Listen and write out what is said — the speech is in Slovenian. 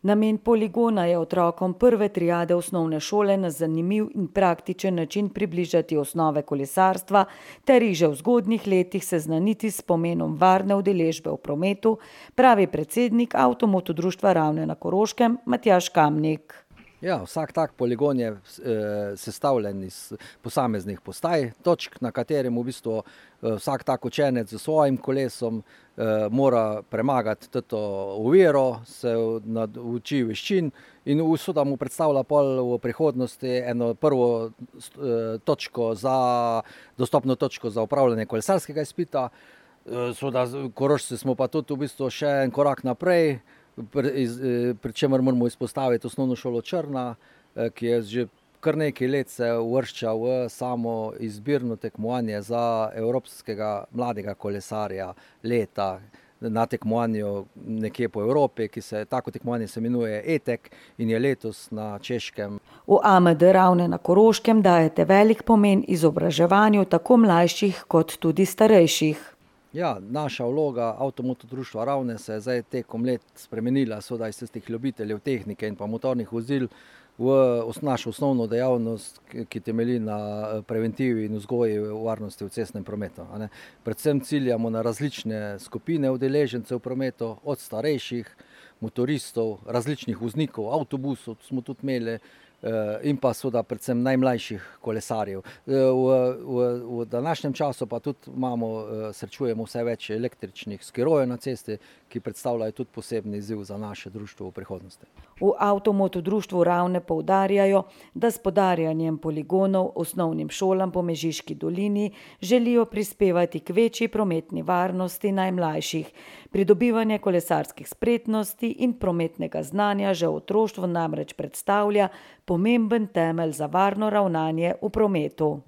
Namen poligona je otrokom prve triade osnovne šole na zanimiv in praktičen način približati osnove kolesarstva ter jih že v zgodnjih letih seznaniti s pomenom varne udeležbe v prometu, pravi predsednik Avtomoto društva Ravne na Koroškem Matjaž Kamnik. Ja, vsak tak poligon je sestavljen iz posameznih postaj, točk, na katerem v bistvu vsak tak učenec z svojim kolesom mora premagati to oviro, se nauči veščin in seveda mu predstavlja pol v prihodnosti eno prvo dostopno točko za opravljanje kolesarskega izpita. Seveda Korošci smo pa tudi v bistvu še en korak naprej, pri čemer moramo izpostaviti osnovno šolo Črna, ki je že kar nekaj let se uvršča v samo izbirno tekmovanje za evropskega mladega kolesarja leta na tekmovanju nekje po Evropi, tako tekmovanje se imenuje ETEK in je letos na Češkem. V AMD Ravne na Koroškem dajete velik pomen izobraževanju tako mlajših kot tudi starejših. Ja, naša vloga Avtomoto društva Ravne se je zdaj tekom let spremenila, seveda iz tistih ljubiteljev tehnike in pa motornih vozil v našo osnovno dejavnost, ki temelji na preventivi in vzgoji varnosti v cestnem prometu. Predvsem ciljamo na različne skupine udeležencev v prometu, od starejših, motoristov, različnih voznikov, avtobusov smo tudi imeli, in pa seveda predvsem najmlajših kolesarjev. V današnjem času pa tudi srečujemo vse več električnih skirojev na cesti, ki predstavljajo tudi posebni izziv za naše društvo v prihodnosti. V Avtomoto društvu Ravne poudarjajo, da s podarjanjem poligonov osnovnim šolam po Mežiški dolini želijo prispevati k večji prometni varnosti najmlajših. Pridobivanje kolesarskih spretnosti in prometnega znanja že v otroštvu namreč predstavlja pomemben temelj za varno ravnanje v prometu.